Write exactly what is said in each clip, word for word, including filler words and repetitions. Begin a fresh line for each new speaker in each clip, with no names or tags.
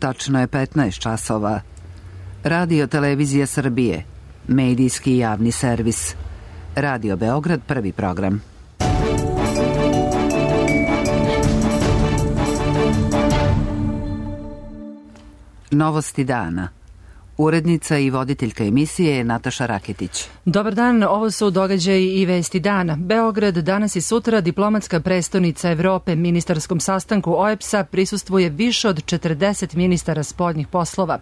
Tačno je petnaest časova. Radio Televizija Srbije, medijski javni servis. Radio Beograd, prvi program. Novosti dana. Urednica i voditeljka emisije je Nataša Raketić.
Dobar dan, ovo su događaji i vesti dana. Beograd danas i sutra, diplomatska prestonica Evrope, ministarskom sastanku O E B S A prisustvuje više od četrdeset ministara spoljnih poslova.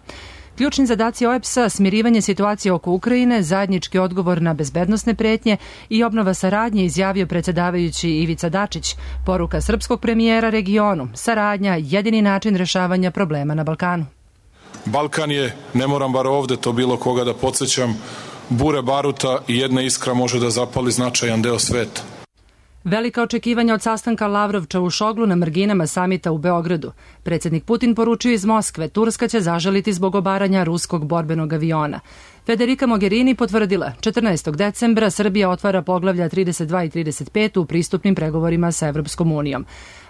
Ključni zadaci O E B S A, smirivanje situacije oko Ukrajine, zajednički odgovor na bezbednosne pretnje i obnova saradnje, izjavio predsjedavajući Ivica Dačić. Poruka srpskog premijera regionu, saradnja jedini način rešavanja problema na Balkanu.
Balkan je, ne moram bar ovde to bilo koga da podsjećam, bure baruta i jedna iskra može da zapali značajan deo sveta.
Velika očekivanja od sastanka Lavrov-Čavušoglu na marginama samita u Beogradu. Predsjednik Putin poručio iz Moskve, Turska će zažaliti zbog obaranja ruskog borbenog aviona. Federica Mogherini potvrdila, četrnaestog decembra Srbija otvara poglavlja trideset dva i trideset pet u pristupnim pregovorima sa Evropskom unijom.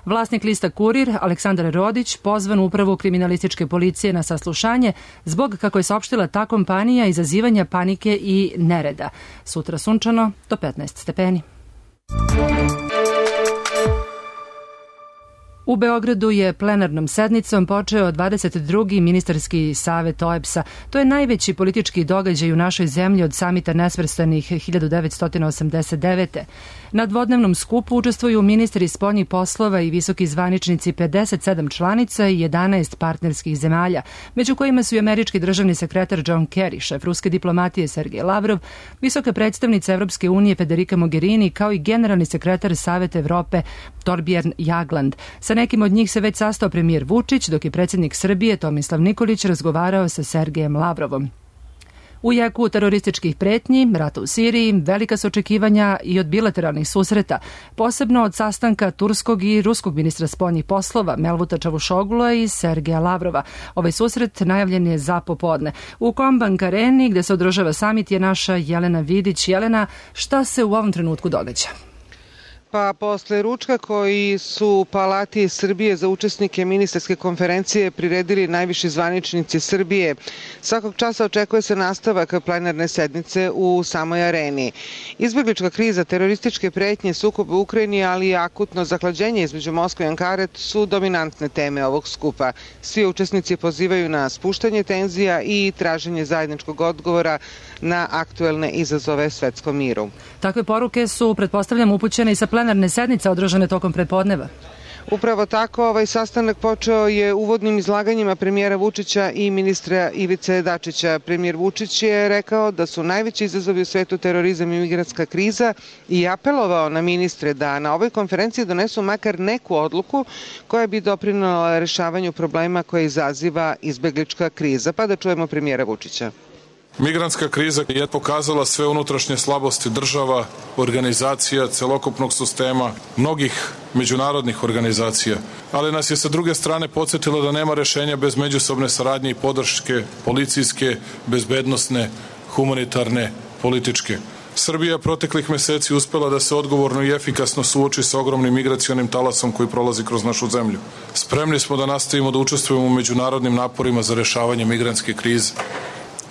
Vlasnik lista Kurir, Aleksandar Rodić, pozvan u upravu kriminalističke policije na saslušanje zbog, kako je saopštila ta kompanija, izazivanja panike i nereda. Sutra sunčano do petnaest stepeni. U Beogradu je plenarnom sednicom počeo dvadeset drugi ministarski savet O E B S A. To je najveći politički događaj u našoj zemlji od samita nesvrstanih hiljadu devetsto osamdeset devete. Na dvodnevnom skupu učestvuju ministri spoljnih poslova i visoki zvaničnici pedeset sedam članica i jedanaest partnerskih zemalja, među kojima su i američki državni sekretar John Kerry, šef ruske diplomatije Sergej Lavrov, visoka predstavnica Evropske unije Federica Mogherini, kao i generalni sekretar Saveta Evrope Torbjörn Jagland. Sa nekim od njih se već sastao premijer Vučić, dok je predsjednik Srbije Tomislav Nikolić razgovarao sa Sergejem Lavrovom. U jeku terorističkih pretnji, rata u Siriji, velika su očekivanja i od bilateralnih susreta, posebno od sastanka turskog i ruskog ministra spoljnih poslova Mevluta Čavušoglu i Sergeja Lavrova. Ovaj susret najavljen je za popodne. U Kombank areni, gde se održava samit, je naša Jelena Vidić. Jelena, šta se u ovom trenutku događa?
Pa posle ručka koji su u Palati Srbije za učesnike ministarske konferencije priredili najviši zvaničnici Srbije, svakog časa očekuje se nastavak plenarne sednice u samoj areni. Izbeglička kriza, terorističke pretnje, sukob u Ukrajini, ali i akutno zahlađenje između Moskve i Ankare su dominantne teme ovog skupa. Svi učesnici pozivaju na spuštanje tenzija i traženje zajedničkog odgovora na aktuelne izazove svetskom miru.
Takve poruke su, pretpostavljam, upućene i sa plenarne sednice održane tokom prepodneva.
Upravo tako, ovaj sastanak počeo je uvodnim izlaganjima premijera Vučića i ministra Ivice Dačića. Premijer Vučić je rekao da su najveći izazovi u svetu terorizam i migrantska kriza i apelovao na ministre da na ovoj konferenciji donesu makar neku odluku koja bi doprinela rešavanju problema koje izaziva izbeglička kriza. Pa da čujemo premijera Vučića.
Migrantska kriza je pokazala sve unutrašnje slabosti država, organizacija, celokupnog sistema, mnogih međunarodnih organizacija, ali nas je sa druge strane podsjetila da nema rešenja bez međusobne saradnje i podrške policijske, bezbednosne, humanitarne, političke. Srbija proteklih meseci uspela da se odgovorno i efikasno suoči sa ogromnim migracionim talasom koji prolazi kroz našu zemlju. Spremni smo da nastavimo da učestvujemo u međunarodnim naporima za rešavanje migrantske krize.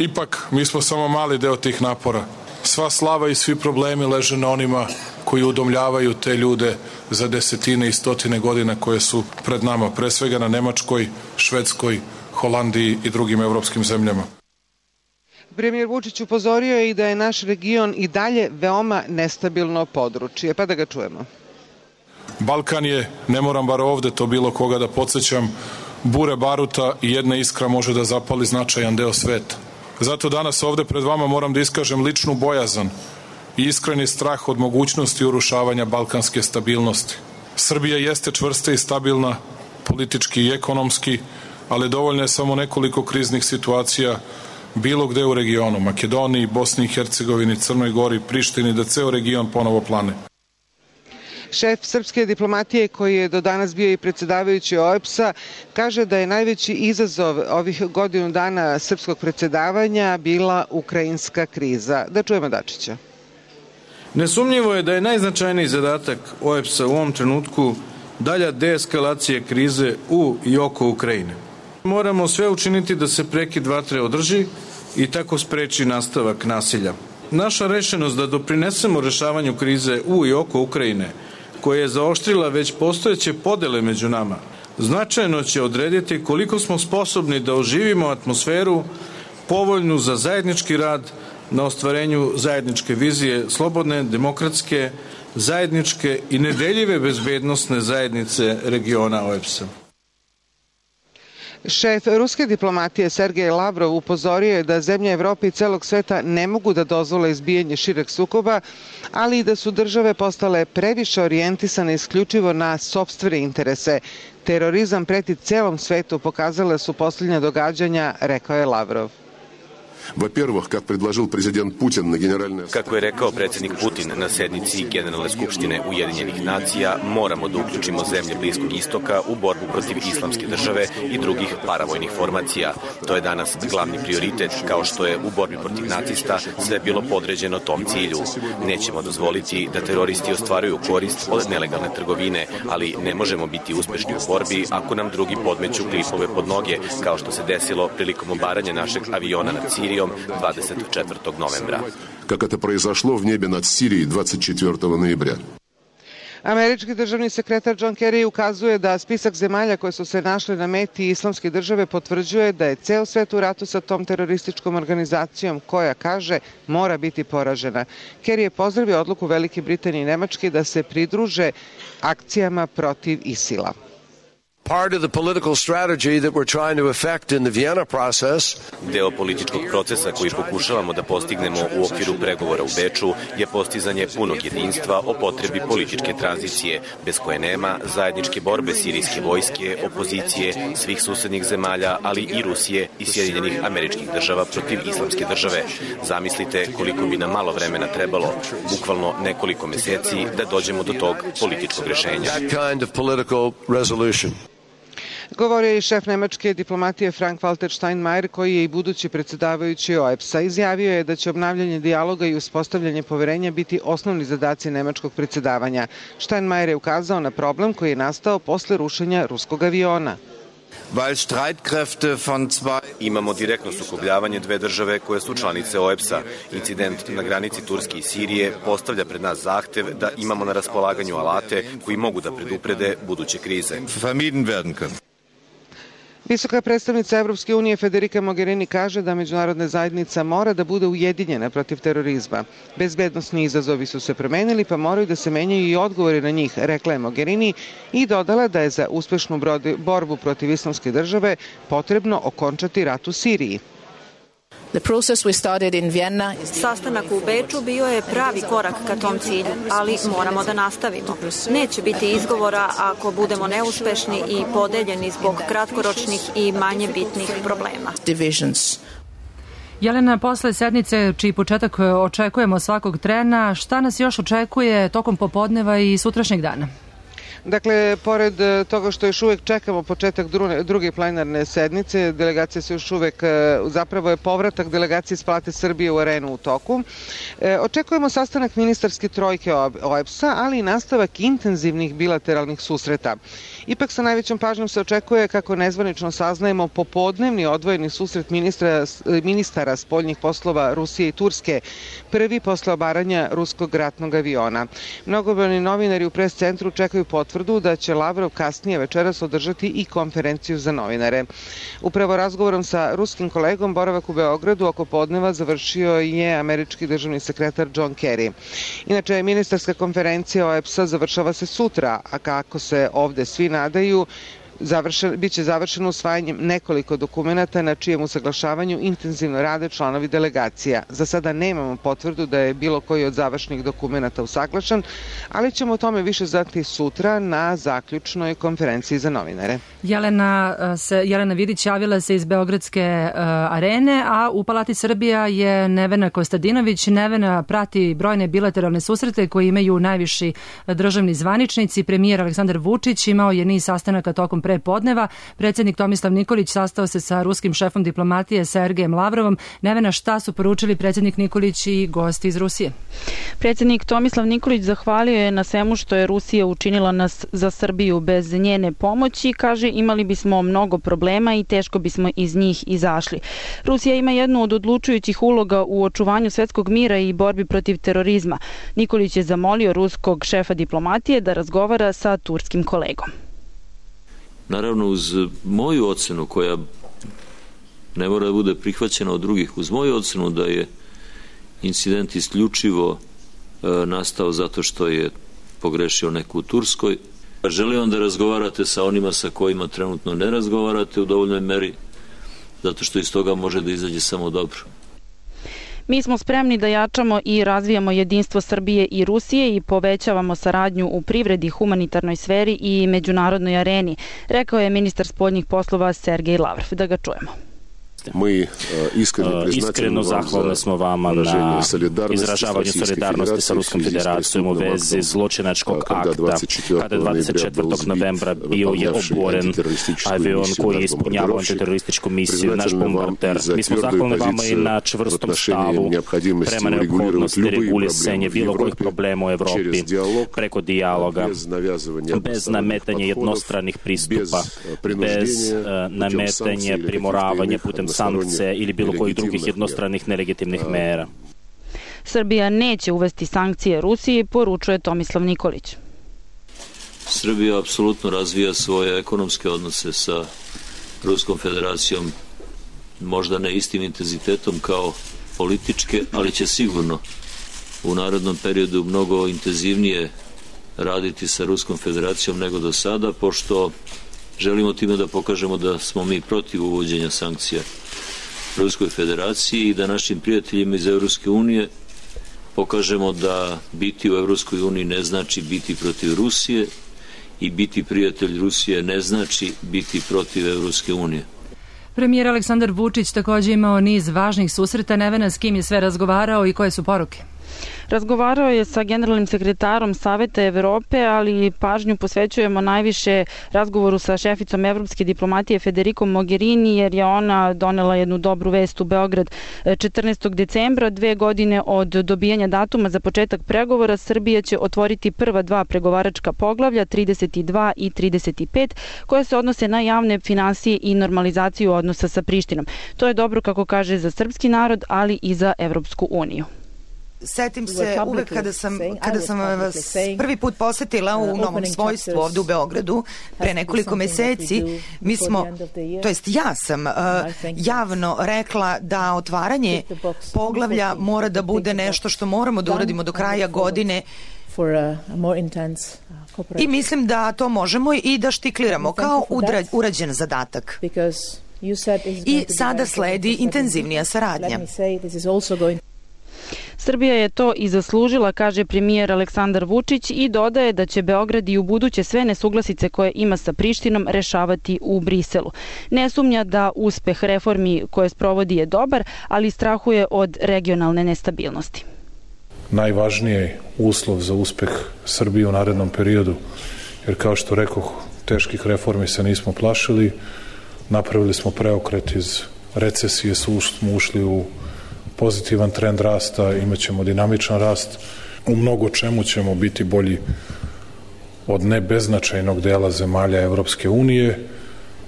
Ipak, mi smo samo mali deo tih napora. Sva slava i svi problemi leže na onima koji udomljavaju te ljude za desetine i stotine godina koje su pred nama, pre svega na Nemačkoj, Švedskoj, Holandiji i drugim evropskim zemljama.
Premijer Vučić upozorio je i da je naš region i dalje veoma nestabilno područje. Pa da ga čujemo.
Balkan je, ne moram bar ovde to bilo koga da podsjećam, bure baruta i jedna iskra može da zapali značajan deo sveta. Zato danas ovde pred vama moram da iskažem ličnu bojazan i iskreni strah od mogućnosti urušavanja balkanske stabilnosti. Srbija jeste čvrsta i stabilna, politički i ekonomski, ali dovoljno je samo nekoliko kriznih situacija bilo gde u regionu, Makedoniji, Bosni i Hercegovini, Crnoj Gori, Prištini, da ceo region ponovo plane.
Šef srpske diplomatije, koji je do danas bio i predsjedavajući O E B S A, kaže da je najveći izazov ovih godinu dana srpskog predsjedavanja bila ukrajinska kriza. Da čujemo Dačića.
Nesumnjivo je da je najznačajniji zadatak O E B S A u ovom trenutku dalja deeskalacija krize u i oko Ukrajine. Moramo sve učiniti da se prekid vatre održi i tako spreči nastavak nasilja. Naša rešenost da doprinesemo rešavanju krize u i oko Ukrajine, koja je zaoštrila već postojeće podele među nama, značajno će odrediti koliko smo sposobni da oživimo atmosferu povoljnu za zajednički rad na ostvarenju zajedničke vizije slobodne, demokratske, zajedničke i nedeljive bezbednosne zajednice regiona O E B S-a.
Šef ruske diplomatije Sergej Lavrov upozorio je da zemlje Evrope i celog sveta ne mogu da dozvole izbijanje šireg sukoba, ali i da su države postale previše orijentisane isključivo na sopstvene interese. Terorizam preti celom svetu, pokazale su posljednja događanja, rekao je Lavrov.
Kako je rekao predsjednik Putin na sednici Generalne skupštine Ujedinjenih nacija, moramo da uključimo zemlje Bliskog istoka u borbu protiv islamske države i drugih paravojnih formacija. To je danas glavni prioritet, kao što je u borbi protiv nacista sve bilo podređeno tom cilju. Nećemo dozvoliti da teroristi ostvaruju korist od nelegalne trgovine, ali ne možemo biti uspešni u borbi ako nam drugi podmeću klipove pod noge, kao što se desilo prilikom obaranja našeg aviona nad Sirijom dvadeset četvrtog novembra.
Как это произошло в небе над Сирией двадцать четвёртого ноября.
Američki državni sekretar John Kerry ukazuje da spisak zemalja koje su se našle na meti islamske države potvrđuje da je ceo svet u ratu sa tom terorističkom organizacijom koja, kaže, mora biti poražena. Kerry je pozdravio odluku Velike Britanije i Nemačke da se pridruže akcijama protiv ISIL-a.
Part of the political strategy that we're trying to effect in the Vienna process.
Deo političkog procesa koji pokušavamo da postignemo u okviru pregovora u Beču je postizanje punog jedinstva o potrebi političke tranzicije, bez koje nema zajedničke borbe sirijske vojske, opozicije, svih susednih zemalja, ali i Rusije i Sjedinjenih Američkih Država protiv islamske države. Zamislite koliko bi nam malo vremena trebalo, bukvalno nekoliko meseci, da dođemo do tog političkog rešenja.
That kind of political resolution.
Govorio je i šef nemačke diplomatije Frank-Walter Steinmeier, koji je i budući predsjedavajući O E B S-a. Izjavio je da će obnavljanje dijaloga i uspostavljanje poverenja biti osnovni zadaci nemačkog predsjedavanja. Steinmeier je ukazao na problem koji je nastao posle rušenja ruskog aviona.
Imamo direktno sukobljavanje dve države koje su članice O E B S-a. Incident na granici Turske i Sirije postavlja pred nas zahtev da imamo na raspolaganju alate koji mogu da preduprede buduće krize.
Visoka predstavnica Evropske unije Federica Mogherini kaže da međunarodna zajednica mora da bude ujedinjena protiv terorizma. Bezbednosni izazovi su se promenili, pa moraju da se menjaju i odgovori na njih, rekla je Mogherini i dodala da je za uspešnu borbu protiv islamske države potrebno okončati rat u Siriji.
Sastanak u Beču bio je pravi korak ka tom cilju, ali moramo da nastavimo. Neće biti izgovora ako budemo neuspešni i podeljeni zbog kratkoročnih i manje bitnih problema.
Jelena, posle sednice čiji početak očekujemo svakog trena, šta nas još očekuje tokom popodneva i sutrašnjeg dana?
Dakle, pored toga što još uvek čekamo početak druge plenarne sednice, delegacija se još uvek, zapravo je povratak delegacije iz Palate Srbije u arenu u toku. Očekujemo sastanak ministarske trojke O E B S-a, ali i nastavak intenzivnih bilateralnih susreta. Ipak sa najvećom pažnjom se očekuje, kako nezvanično saznajemo, popodnevni odvojeni susret ministra, ministara spoljnih poslova Rusije i Turske, prvi posle obaranja ruskog ratnog aviona. Mnogobrojni novinari u pres centru čekaju potvrdu da će Lavrov kasnije večeras održati i konferenciju za novinare. Upravo razgovorom sa ruskim kolegom boravak u Beogradu oko podneva završio je američki državni sekretar John Kerry. Inače, ministarska konferencija O E B S-a završava se sutra, a kako se ovde svi nadaju, Završen, biće završeno usvajanjem nekoliko dokumenata na čijem usaglašavanju intenzivno rade članovi delegacija. Za sada nemamo potvrdu da je bilo koji od završnih dokumenata usaglašen, ali ćemo o tome više znati sutra na zaključnoj konferenciji za novinare.
Jelena, se, Jelena Vidić javila se iz Beogradske uh, arene, a u Palati Srbija je Nevena Kostadinović. Nevena prati brojne bilateralne susrete koje imaju najviši državni zvaničnici. Premijer Aleksandar Vučić imao je niz sastanaka tokom pre podneva. Predsjednik Tomislav Nikolić sastao se sa ruskim šefom diplomatije Sergejem Lavrovom. Nevena, šta su poručili predsjednik Nikolić i gosti iz Rusije?
Predsjednik Tomislav Nikolić zahvalio je na svemu što je Rusija učinila nas za Srbiju. Bez njene pomoći, kaže, imali bismo mnogo problema i teško bismo iz njih izašli. Rusija ima jednu od odlučujućih uloga u očuvanju svetskog mira i borbi protiv terorizma. Nikolić je zamolio ruskog šefa diplomatije da razgovara sa turskim kolegom.
Naravno, uz moju ocenu, koja ne mora da bude prihvaćena od drugih, uz moju ocenu da je incident isključivo e, nastao zato što je pogrešio neko u Turskoj. Želim vam da razgovarate sa onima sa kojima trenutno ne razgovarate u dovoljnoj meri, zato što iz toga može da izađe samo dobro.
Mi smo spremni da jačamo i razvijamo jedinstvo Srbije i Rusije i povećavamo saradnju u privredi, humanitarnoj sferi i međunarodnoj areni, rekao je ministar spoljnih poslova Sergej Lavrov. Da ga čujemo.
Mi
iskreno zahvalni smo vama na izražavanju solidarnosti sa Ruskom federacijom u vezi zločinačkog akta kada dvadeset četvrtog novembra bio je oboren avion koji je ispunjavao antiterorističku misiju, naš bombarder. Mi smo zahvalni vama i na čvrstom stavu prema neophodnosti regulisanja bilo kojih problema u Evropi preko dijaloga, bez nametanja jednostranih pristupa, bez nametanja primoravanja putem sankcije ili bilo kojih drugih jednostranih nelegitimnih mera.
Srbija neće uvesti sankcije Rusiji, poručuje Tomislav Nikolić.
Srbija apsolutno razvija svoje ekonomske odnose sa Ruskom federacijom, možda ne istim intenzitetom kao političke, ali će sigurno u narednom periodu mnogo intenzivnije raditi sa Ruskom federacijom nego do sada, pošto želimo time da pokažemo da smo mi protiv uvođenja sankcija Ruskoj federaciji i da našim prijateljima iz Evropske unije pokažemo da biti u Evropskoj uniji ne znači biti protiv Rusije i biti prijatelj Rusije ne znači biti protiv Evropske unije.
Premijer Aleksandar Vučić također imao niz važnih susreta. Nevena, s kim je sve razgovarao i koje su poruke?
Razgovarao je sa generalnim sekretarom Saveta Evrope, ali pažnju posvećujemo najviše razgovoru sa šeficom evropske diplomatije Federikom Mogherini, jer je ona donela jednu dobru vest u Beograd četrnaestog decembra, dve godine od dobijanja datuma za početak pregovora. Srbija će otvoriti prva dva pregovaračka poglavlja, trideset dva i trideset pet, koje se odnose na javne finansije i normalizaciju odnosa sa Prištinom. To je dobro, kako kaže, za srpski narod, ali i za Evropsku uniju.
Setim se uvek kada sam, kada sam vas prvi put posetila u novom svojstvu ovdje u Beogradu pre nekoliko meseci, mi smo, to jest ja sam uh, javno rekla da otvaranje poglavlja mora da bude nešto što moramo da uradimo do kraja godine i mislim da to možemo i da štikliramo kao udra, urađen zadatak. I sada sledi intenzivnija saradnja.
Srbija je to i zaslužila, kaže premijer Aleksandar Vučić, i dodaje da će Beograd i u buduće sve nesuglasice koje ima sa Prištinom rešavati u Briselu. Ne sumnja da uspeh reformi koje sprovodi je dobar, ali strahuje od regionalne nestabilnosti.
Najvažniji uslov za uspeh Srbije u narednom periodu, jer kao što rekoh, teških reformi se nismo plašili, napravili smo preokret iz recesije, smo ušli u pozitivan trend rasta, imat ćemo dinamičan rast, u mnogo čemu ćemo biti bolji od ne beznačajnog dela zemalja Evropske unije,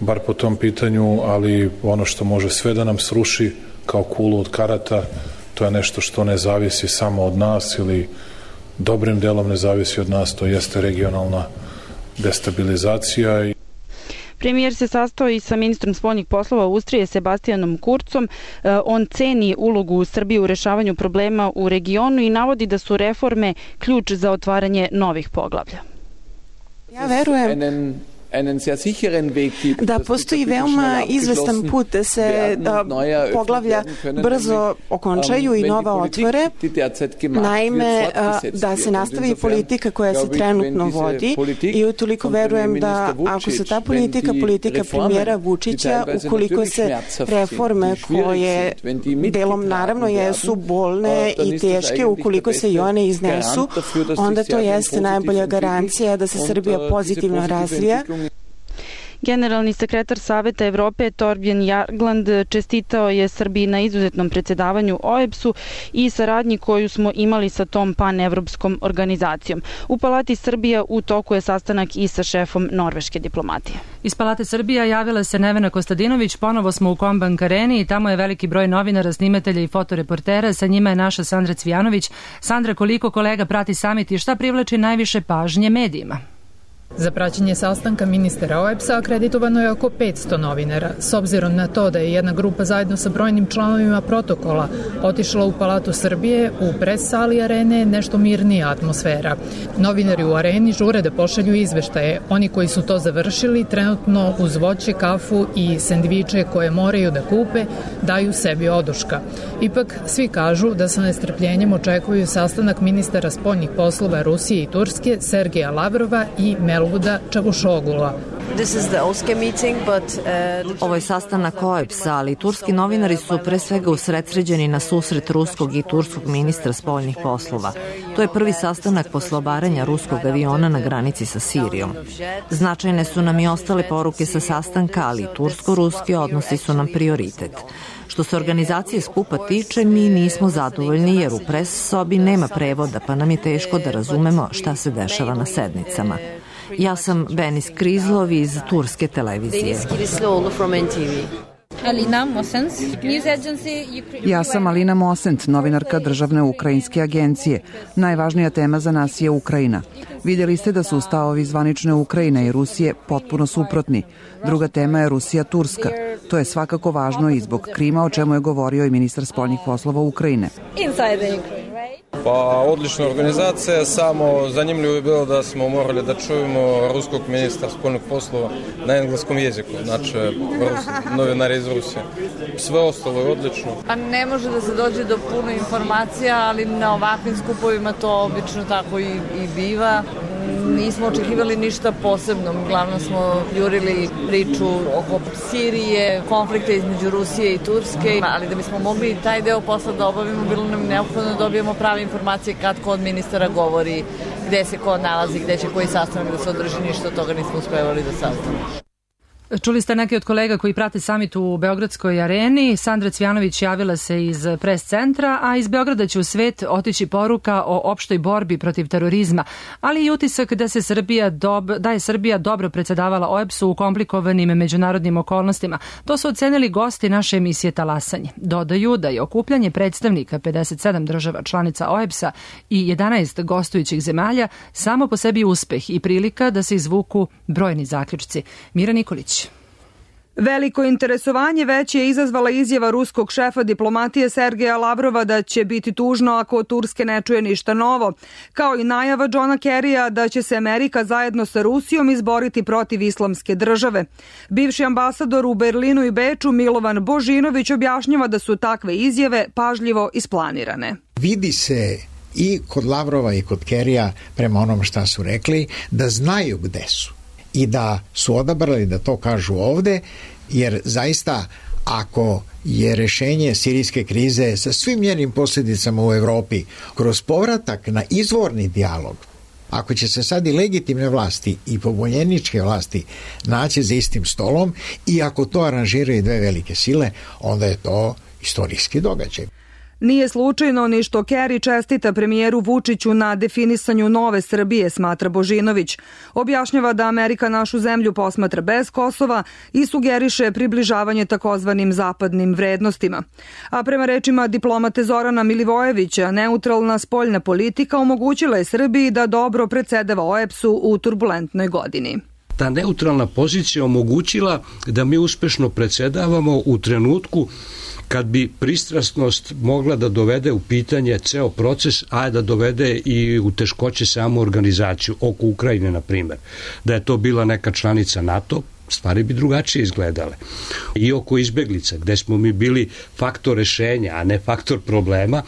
bar po tom pitanju, ali ono što može sve da nam sruši kao kulu od karata, to je nešto što ne zavisi samo od nas ili dobrim delom ne zavisi od nas, to jeste regionalna destabilizacija.
Premijer se sastao i sa ministrom spoljnih poslova Austrije Sebastianom Kurzom. On ceni ulogu Srbije u rešavanju problema u regionu i navodi da su reforme ključ za otvaranje novih poglavlja.
Ja verujem da postoji veoma izvestan put da se da poglavlja brzo okončaju i nova otvore. Naime, da se nastavi politika koja se trenutno vodi i utoliko verujem da ako se ta politika, politika premijera Vučića, ukoliko se reforme koje delom naravno jesu bolne i teške, ukoliko se i one iznesu, onda to jeste najbolja garancija da se Srbija pozitivno razvija.
Generalni sekretar Saveta Evrope Torbjörn Jagland čestitao je Srbiji na izuzetnom predsjedavanju O E B S-u i saradnji koju smo imali sa tom panevropskom organizacijom. U Palati Srbija u toku je sastanak i sa šefom norveške diplomatije.
Iz Palate Srbija javila se Nevena Kostadinović, ponovo smo u Kombank areni i tamo je veliki broj novinara, snimatelja i fotoreportera, sa njima je naša Sandra Cvijanović. Sandra, koliko kolega prati samit i šta privlači najviše pažnje medijima?
Za praćenje sastanka ministara O E B S-a akreditovano je oko petsto novinara. S obzirom na to da je jedna grupa zajedno sa brojnim članovima protokola otišla u Palatu Srbije, u pres sali arene je nešto mirnija atmosfera. Novinari u areni žure da pošalju izveštaje. Oni koji su to završili trenutno uz voće, kafu i sendviče koje moraju da kupe daju sebi oduška. Ipak svi kažu da sa nestrpljenjem očekuju sastanak ministara spoljnih poslova Rusije i Turske Sergeja Lavrova i Mel Čavušogula.
Ovo je sastanak O E B S-a, ali turski novinari su pre svega usredsređeni na susret ruskog i turskog ministra spoljnih poslova. To je prvi sastanak posle obaranja ruskog aviona na granici sa Sirijom. Značajne su nam i ostale poruke sa sastanka, ali tursko-ruski odnosi su nam prioritet. Što se organizacije skupa tiče, mi nismo zadovoljni jer u pres sobi nema prevoda, pa nam je teško da razumemo šta se dešava na sednicama. Ja sam Benis Krizlov iz turske televizije.
Ja sam Alina Mosent, novinarka državne ukrajinske agencije. Najvažnija tema za nas je Ukrajina. Vidjeli ste da su stavovi zvanične Ukrajine i Rusije potpuno suprotni. Druga tema je Rusija-Turska. To je svakako važno i zbog Krima, o čemu je govorio i ministar spoljnih poslova Ukrajine.
Pa odlična organizacija, samo zanimljivo je bilo da smo morali da čujemo ruskog ministra spoljnih poslova na engleskom jeziku, znači novinari iz Rusije. Sve ostalo je odlično.
Pa ne može da se dođe do puno informacija, ali na ovakvim skupovima to obično tako i, i biva. Nismo očekivali ništa posebno, uglavnom smo jurili priču oko Sirije, konflikta između Rusije i Turske, ali da bismo mogli taj deo posla da obavimo, bilo nam neophodno da dobijemo prave informacije kad ko od ministara govori, gde se ko nalazi, gde će koji sastanak da se održi, ništa od toga nismo uspevali do sada.
Čuli ste neki od kolega koji prate samit u Beogradskoj areni. Sandra Cvijanović javila se iz pres centra, a iz Beograda će u svet otići poruka o opštoj borbi protiv terorizma, ali i utisak da, se Srbija dob, da je Srbija dobro predsjedavala O E B S-u u komplikovanim međunarodnim okolnostima. To su ocenili gosti naše emisije Talasanje. Dodaju da je okupljanje predstavnika pedeset sedam država članica O E B S-a i jedanaest gostujućih zemalja samo po sebi uspeh i prilika da se izvuku brojni zaključci. Mira Nikolić.
Veliko interesovanje već je izazvala izjava ruskog šefa diplomatije Sergeja Lavrova da će biti tužno ako od Turske ne čuje ništa novo, kao i najava Johna Kerrya da će se Amerika zajedno sa Rusijom izboriti protiv islamske države. Bivši ambasador u Berlinu i Beču Milovan Božinović objašnjava da su takve izjave pažljivo isplanirane.
Vidi se i kod Lavrova i kod Kerrya, prema onom šta su rekli, da znaju gde su i da su odabrali da to kažu ovde, jer zaista ako je rešenje sirijske krize sa svim njenim posljedicama u Evropi kroz povratak na izvorni dijalog, ako će se sad i legitimne vlasti i pobunjeničke vlasti naći za istim stolom i ako to aranžiraju dve velike sile, onda je to istorijski događaj.
Nije slučajno ni što Kerry čestita premijeru Vučiću na definisanju nove Srbije, smatra Božinović. Objašnjava da Amerika našu zemlju posmatra bez Kosova i sugeriše približavanje takozvanim zapadnim vrednostima. A prema rečima diplomate Zorana Milivojevića, neutralna spoljna politika omogućila je Srbiji da dobro predsedava O E B S-u u turbulentnoj godini.
Ta neutralna pozicija omogućila da mi uspešno predsedavamo u trenutku kad bi pristrasnost mogla da dovede u pitanje ceo proces, a da dovede i u teškoće samu organizaciju, oko Ukrajine, na primjer. Da je to bila neka članica NATO, stvari bi drugačije izgledale. I oko izbeglica, gde smo mi bili faktor rešenja, a ne faktor problema,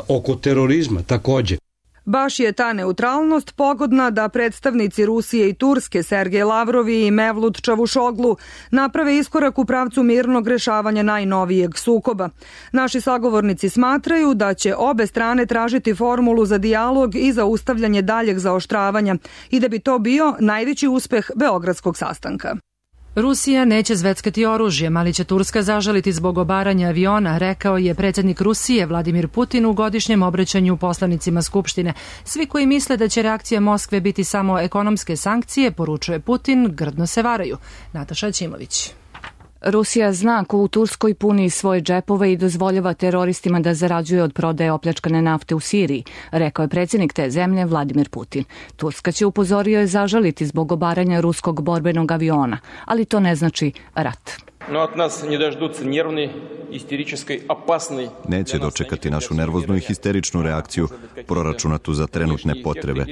oko terorizma takođe.
Baš je ta neutralnost pogodna da predstavnici Rusije i Turske Sergej Lavrov i Mevlut Čavušoglu naprave iskorak u pravcu mirnog rešavanja najnovijeg sukoba. Naši sagovornici smatraju da će obe strane tražiti formulu za dijalog i zaustavljanje daljeg zaoštravanja i da bi to bio najveći uspeh beogradskog sastanka.
Rusija neće zveckati oružjem, ali će Turska zažaliti zbog obaranja aviona, rekao je predsjednik Rusije Vladimir Putin u godišnjem obraćanju poslanicima Skupštine. Svi koji misle da će reakcija Moskve biti samo ekonomske sankcije, poručuje Putin, grdno se varaju. Nataša Ćimović.
Rusija zna ko u Turskoj puni svoje džepove i dozvoljava teroristima da zarađuje od prodaje opljačkane nafte u Siriji, rekao je predsjednik te zemlje Vladimir Putin. Turska će, upozorio je, zažaliti zbog obaranja ruskog borbenog aviona, ali to ne znači rat.
Neće dočekati našu nervoznu i histeričnu reakciju proračunatu za trenutne potrebe.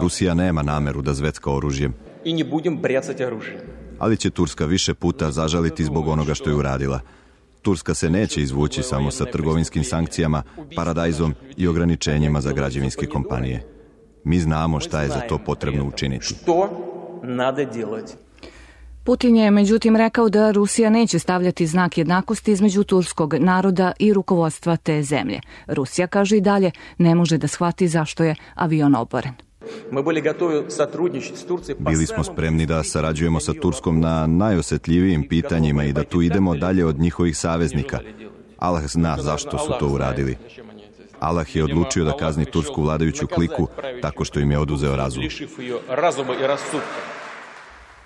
Rusija nema nameru da zvecka oružjem. Ali će Turska više puta zažaliti zbog onoga što je uradila. Turska se neće izvući samo sa trgovinskim sankcijama, paradajzom i ograničenjima za građevinske kompanije. Mi znamo šta je za to potrebno učiniti.
Putin je međutim rekao da Rusija neće stavljati znak jednakosti između turskog naroda i rukovodstva te zemlje. Rusija, kaže i dalje, ne može da shvati zašto je avion oboren.
Bili smo spremni da sarađujemo sa Turskom na najosjetljivijim pitanjima i da tu idemo dalje od njihovih saveznika. Allah zna zašto su to uradili. Allah je odlučio da kazni tursku vladajuću kliku tako što im je oduzeo razum.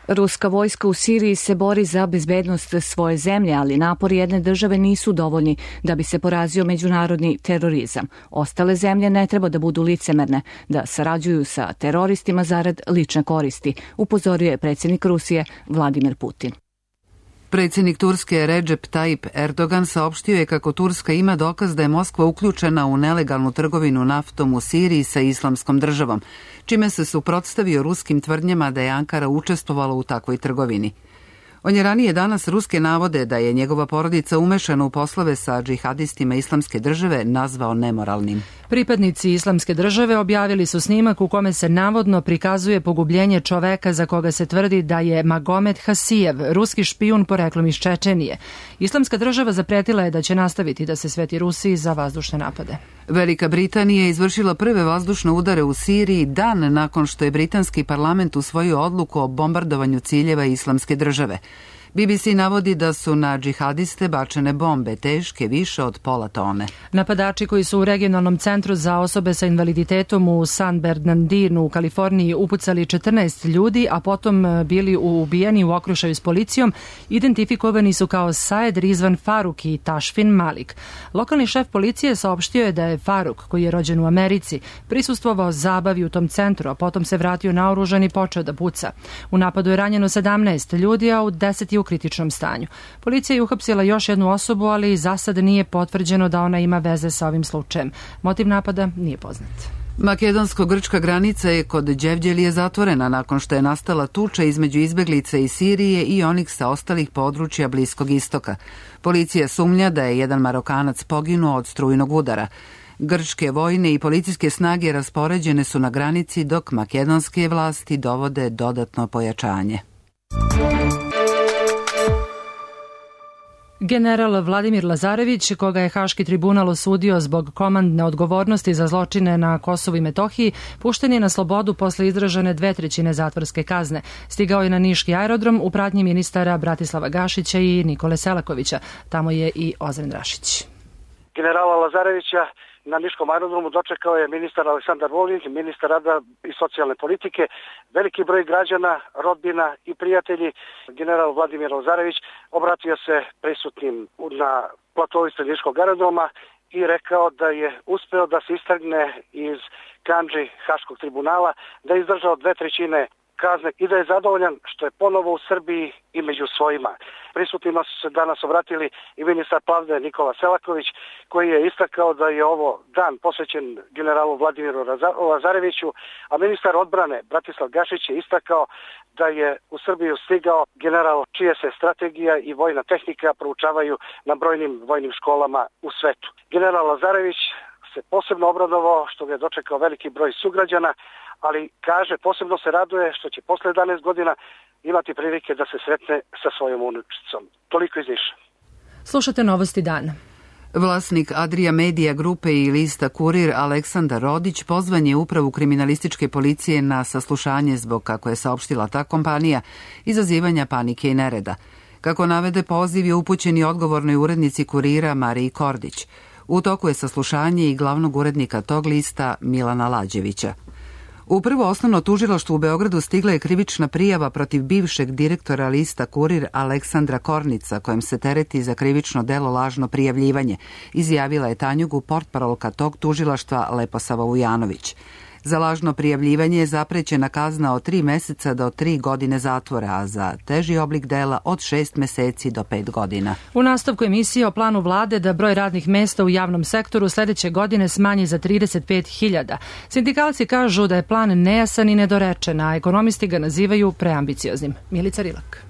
Ruska vojska u Siriji se bori za bezbednost svoje zemlje, ali napori jedne države nisu dovoljni da bi se porazio međunarodni terorizam. Ostale zemlje ne treba da budu licemerne, da sarađuju sa teroristima zarad lične koristi, upozorio je predsjednik Rusije Vladimir Putin.
Predsjednik Turske Recep Tayyip Erdogan saopštio je kako Turska ima dokaz da je Moskva uključena u nelegalnu trgovinu naftom u Siriji sa Islamskom državom, čime se suprotstavio ruskim tvrdnjama da je Ankara učestvovala u takvoj trgovini. On je ranije danas ruske navode da je njegova porodica umešana u poslove sa džihadistima Islamske države nazvao nemoralnim.
Pripadnici Islamske države objavili su snimak u kome se navodno prikazuje pogubljenje čoveka za koga se tvrdi da je Magomed Hasijev, ruski špijun poreklom iz Čečenije. Islamska država zapretila je da će nastaviti da se sveti Rusiji za vazdušne napade.
Velika Britanija je izvršila prve vazdušne udare u Siriji dan nakon što je britanski parlament usvojio odluku o bombardovanju ciljeva Islamske države. B B C navodi da su na džihadiste bačene bombe teške više od pola tone.
Napadači koji su u regionalnom centru za osobe sa invaliditetom u San Bernardinu u Kaliforniji upucali četrnaest ljudi, a potom bili ubijeni u okrušaju s policijom, identifikovani su kao Saed Rizvan Faruk i Tašfin Malik. Lokalni šef policije saopštio je da je Faruk, koji je rođen u Americi, prisustvovao zabavi u tom centru, a potom se vratio naoružan i počeo da puca. U napadu je ranjeno sedamnaest ljudi, a u deset je u kritičnom stanju. Policija je uhapsila još jednu osobu, ali za sad nije potvrđeno da ona ima veze sa ovim slučajem. Motiv napada nije poznat.
Makedonsko-grčka granica je kod Đevđelije zatvorena nakon što je nastala tuča između izbeglica iz Sirije i onih sa ostalih područja Bliskog istoka. Policija sumnja da je jedan Marokanac poginuo od strujnog udara. Grčke vojne i policijske snage raspoređene su na granici, dok makedonske vlasti dovode dodatno pojačanje.
General Vladimir Lazarević, koga je Haški tribunal osudio zbog komandne odgovornosti za zločine na Kosovu i Metohiji, pušten je na slobodu posle izražene dve trećine zatvorske kazne. Stigao je na niški aerodrom u pratnji ministara Bratislava Gašića i Nikole Selakovića. Tamo je i Ozren Rašić.
Generala Lazarevića na niškom aerodromu dočekao je ministar Aleksandar Vulin, ministar rada i socijalne politike, veliki broj građana, rodbina i prijatelji. General Vladimir Lazarević obratio se prisutnim na platovu ispred niškog aerodroma i rekao da je uspeo da se istrgne iz kandži Haškog tribunala, da je izdržao dve trećine kazne i da je zadovoljan što je ponovo u Srbiji i među svojima. Prisutnima su se danas obratili i ministar pravde Nikola Selaković, koji je istakao da je ovo dan posvećen generalu Vladimiru Lazareviću, a ministar odbrane Bratislav Gašić je istakao da je u Srbiju stigao general čije se strategija i vojna tehnika proučavaju na brojnim vojnim školama u svetu. General Lazarević se posebno obradovao što ga je dočekao veliki broj sugrađana, ali kaže posebno se raduje što će posle jedanaest godina imati prilike da se sretne sa svojom unučicom. Toliko iz Niša.
Slušate Novosti dana.
Vlasnik Adria Media grupe i lista Kurir Aleksandar Rodić pozvan je upravu kriminalističke policije na saslušanje zbog, kako je saopštila ta kompanija, izazivanja panike i nereda. Kako navede, poziv je upućen i odgovornoj urednici Kurira Mariji Kordić. U toku je saslušanje i glavnog urednika tog lista Milana Lađevića. U prvo osnovno tužilaštvo u Beogradu stigla je krivična prijava protiv bivšeg direktora lista Kurir Aleksandra Kornica, kojem se tereti za krivično delo lažno prijavljivanje, izjavila je Tanjugu portparolka tog tužilaštva Leposava Vujanović. Za lažno prijavljivanje je zaprećena kazna od tri meseca do tri godine zatvora, a za teži oblik dela od šest meseci do pet godina.
U nastavku emisije o planu vlade da broj radnih mesta u javnom sektoru sledeće godine smanji za trideset pet hiljada. Sindikalci kažu da je plan nejasan i nedorečen, a ekonomisti ga nazivaju preambicioznim. Milica Rilak.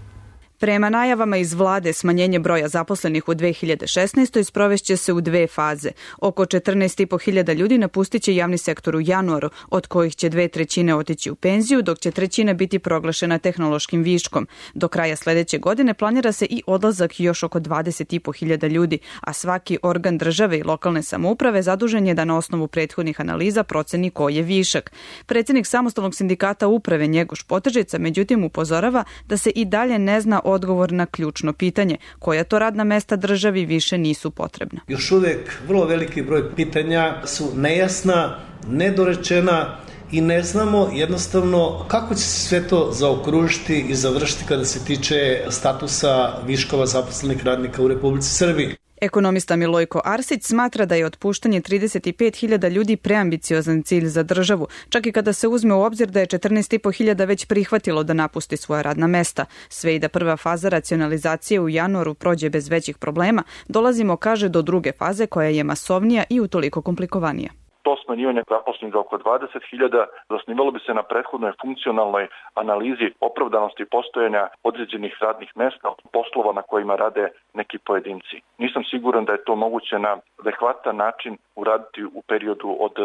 Prema najavama iz vlade, smanjenje broja zaposlenih u dve hiljade šesnaestoj sprovešće se u dve faze. Oko četrnaest i po hiljada ljudi napustit će javni sektor u januaru, od kojih će dve trećine otići u penziju, dok će trećina biti proglašena tehnološkim viškom. Do kraja sledeće godine planira se i odlazak još oko dvadeset i po hiljada ljudi, a svaki organ države i lokalne samouprave zadužen je da na osnovu prethodnih analiza proceni ko je višak. Predsednik samostalnog sindikata uprave Njegoš Potežica međutim upozorava da se i dalje ne zna odgovor na ključno pitanje, koja to radna mesta državi više nisu potrebna.
Još uvek vrlo veliki broj pitanja su nejasna, nedorečena i ne znamo jednostavno kako će se sve to zaokružiti i završiti kada se tiče statusa viškova zaposlenih radnika u Republici Srbiji.
Ekonomista Milojko Arsić smatra da je otpuštanje trideset pet hiljada ljudi preambiciozan cilj za državu, čak i kada se uzme u obzir da je četrnaest i po hiljada već prihvatilo da napusti svoja radna mesta. Sve i da prva faza racionalizacije u januaru prođe bez većih problema, dolazimo, kaže, do druge faze koja je masovnija i utoliko komplikovanija.
To smanjivanje zaposlenih za oko dvadeset hiljada zasnivalo bi se na prethodnoj funkcionalnoj analizi opravdanosti postojanja određenih radnih mesta, poslova na kojima rade neki pojedinci. Nisam siguran da je to moguće na adekvatan način uraditi u periodu od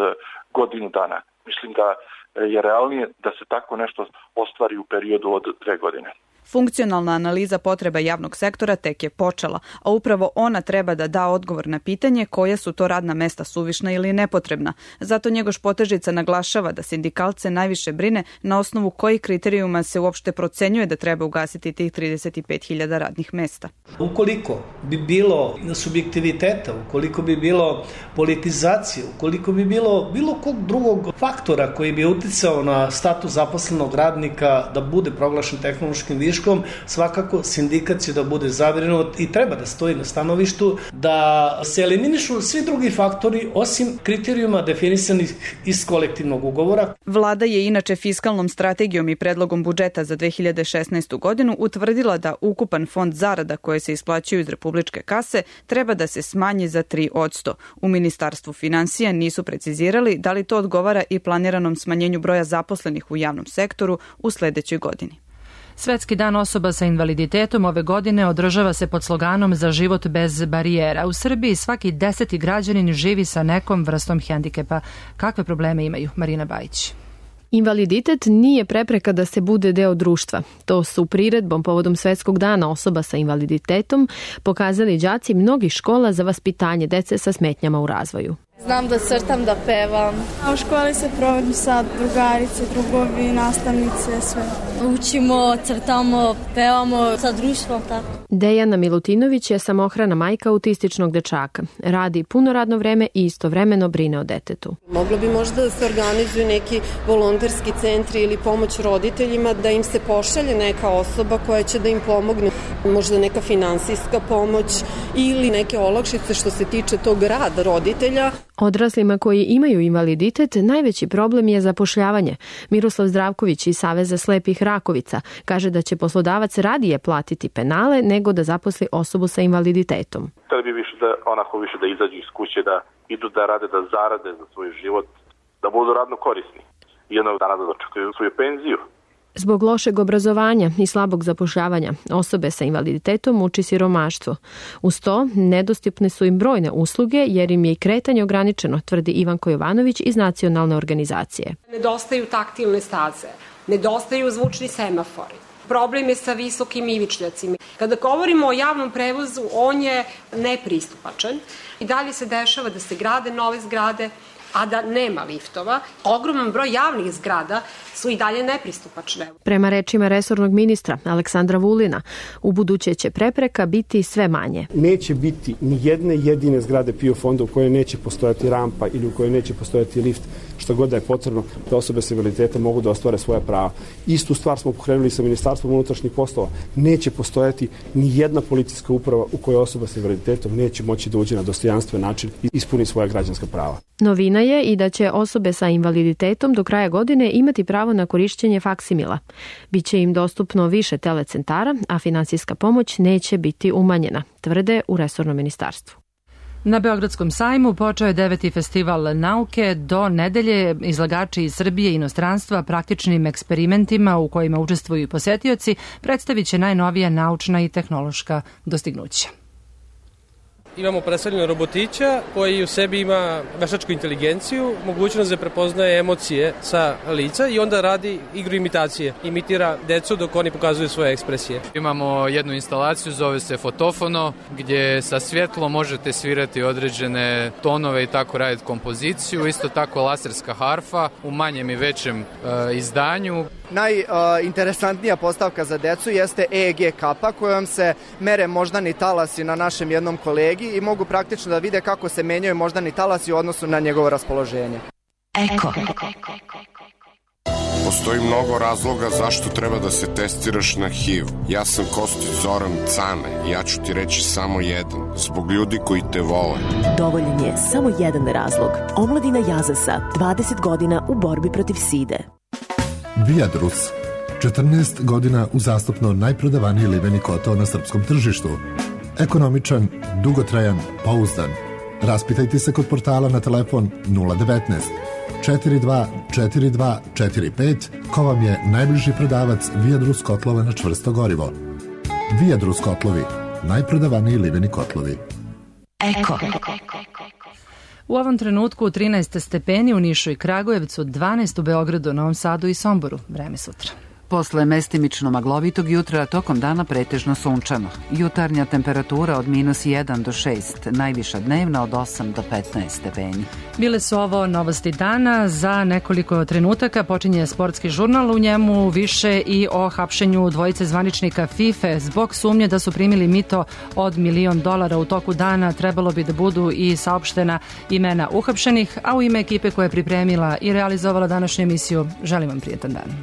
godinu dana. Mislim da je realnije da se tako nešto ostvari u periodu od dve godine.
Funkcionalna analiza potreba javnog sektora tek je počela, a upravo ona treba da da odgovor na pitanje koja su to radna mesta suvišna ili nepotrebna. Zato Njegoš Potežica naglašava da sindikalce najviše brine na osnovu kojih kriterijuma se uopšte procenjuje da treba ugasiti tih trideset pet hiljada radnih mesta.
Ukoliko bi bilo subjektiviteta, ukoliko bi bilo politizacije, ukoliko bi bilo bilo kog drugog faktora koji bi uticao na status zaposlenog radnika da bude proglašen tehnološkim viškom, svakako sindikat će da bude zabrinut i treba da stoji na stanovištu da se eliminišu svi drugi faktori osim kriterijuma definisanih iz kolektivnog ugovora.
Vlada je inače fiskalnom strategijom i predlogom budžeta za dve hiljade šesnaestu godinu utvrdila da ukupan fond zarada koje se isplaćuju iz republičke kase treba da se smanji za tri posto. U Ministarstvu finansija nisu precizirali da li to odgovara i planiranom smanjenju broja zaposlenih u javnom sektoru u sledećoj godini.
Svetski dan osoba sa invaliditetom ove godine održava se pod sloganom Za život bez barijera. U Srbiji svaki deseti građanin živi sa nekom vrstom hendikepa. Kakve probleme imaju? Marina Bajić.
Invaliditet nije prepreka da se bude deo društva. To su priredbom povodom Svetskog dana osoba sa invaliditetom pokazali đaci mnogih škola za vaspitanje dece sa smetnjama u razvoju.
Znam da crtam, da pevam.
A u školi se provodim sa drugarice, drugovi, nastavnice, sve.
Učimo, crtamo, pevamo sa društvom, tako.
Dejana Milutinović je samohrana majka autističnog dečaka. Radi puno radno vreme i istovremeno brine o detetu.
Moglo bi možda da se organizuju neki volonterski centri ili pomoć roditeljima, da im se pošalje neka osoba koja će da im pomogne. Možda neka finansijska pomoć ili neke olakšice što se tiče tog rada roditelja.
Odraslima koji imaju invaliditet najveći problem je zapošljavanje. Miroslav Zdravković iz Saveza slepih Rakovica kaže da će poslodavac radije platiti penale nego da zaposli osobu sa invaliditetom.
Hteli bi više da onako više da izađu iz kuće, da idu da rade, da zarade za svoj život, da budu radno korisni i jednog dana da dočekaju svoju penziju.
Zbog lošeg obrazovanja i slabog zapošljavanja osobe sa invaliditetom muči siromaštvo. Uz to, nedostupne su im brojne usluge jer im je i kretanje ograničeno, tvrdi Ivanko Jovanović iz nacionalne organizacije.
Nedostaju taktilne staze, nedostaju zvučni semafori,
Problem je sa visokim ivičnjacima. Kada govorimo o javnom prevozu, on je nepristupačan. I dalje se dešava da se grade nove zgrade, a da nema liftova. Ogroman broj javnih zgrada su i dalje nepristupačne.
Prema rečima resornog ministra Aleksandra Vulina, u buduće će prepreka biti sve manje.
Neće biti ni jedne jedine zgrade P I O fonda u kojoj neće postojati rampa ili u kojoj neće postojati lift, što god da je potrebno da osobe s invaliditetom mogu da ostvare svoja prava. Istu stvar smo pokrenuli sa Ministarstvom unutrašnjih poslova. Neće postojati ni jedna policijska uprava u kojoj osoba s invaliditetom neće moći da uđe na dostojanstven način i ispuni svoja građanska prava.
Novina je i da će osobe sa invaliditetom do kraja godine imati pravo na korišćenje faksimila. Biće im dostupno više telecentara, a finansijska pomoć neće biti umanjena, tvrde u resornom ministarstvu.
Na Beogradskom sajmu počeo je deveti festival nauke. Do nedelje izlagači iz Srbije i inostranstva praktičnim eksperimentima u kojima učestvuju i posetioci predstavit će najnovija naučna i tehnološka dostignuća.
Imamo predstavljeno robotića koji u sebi ima veštačku inteligenciju, mogućnost da prepoznaje emocije sa lica i onda radi igru imitacije. Imitira decu dok oni pokazuju svoje ekspresije.
Imamo jednu instalaciju, zove se fotofono, gdje sa svjetlom možete svirati određene tonove i tako raditi kompoziciju. Isto tako laserska harfa u manjem i većem e, izdanju.
Najinteresantnija postavka za decu jeste E E G kapa kojom se mere moždani talasi na našem jednom kolegi i mogu praktično da vide kako se menjaju moždani talasi u odnosu na njegovo raspoloženje.
Eko. Postoji mnogo razloga zašto treba da se testiraš na H I V. Ja sam Kostić Zoran Cane. Ja ću ti reći samo jedan. Zbog ljudi koji te vole.
Dovoljan je samo jedan razlog. Omladina Jazasa, dvadeset godina u borbi protiv side.
Viadrus. četrnaest godina uzastopno najprodavaniji liveni kotao na srpskom tržištu. Ekonomičan, dugotrajan, pouzdan. Raspitajte se kod portala na telefon nula devetnaest četiri dva četiri dva četiri pet ko vam je najbliži prodavac Viadrus kotlova na čvrsto gorivo. Viadrus kotlovi, najprodavaniji liveni kotlovi.
Eko.
U ovom trenutku trinaest stepeni u Nišu i Kragujevcu, dvanaest u Beogradu, Novom Sadu i Somboru. Vreme sutra.
Posle mestimično maglovitog jutra, tokom dana pretežno sunčano. Jutarnja temperatura od minus jedan do šest, najviša dnevna od osam do petnaest stepeni.
Bile su ovo novosti dana. Za nekoliko trenutaka počinje sportski žurnal, u njemu više i o hapšenju dvojice zvaničnika FIFA zbog sumnje da su primili mito od milion dolara u toku dana. Trebalo bi da budu i saopštena imena uhapšenih, a u ime ekipe koja je pripremila i realizovala današnju emisiju, želim vam prijetan dan.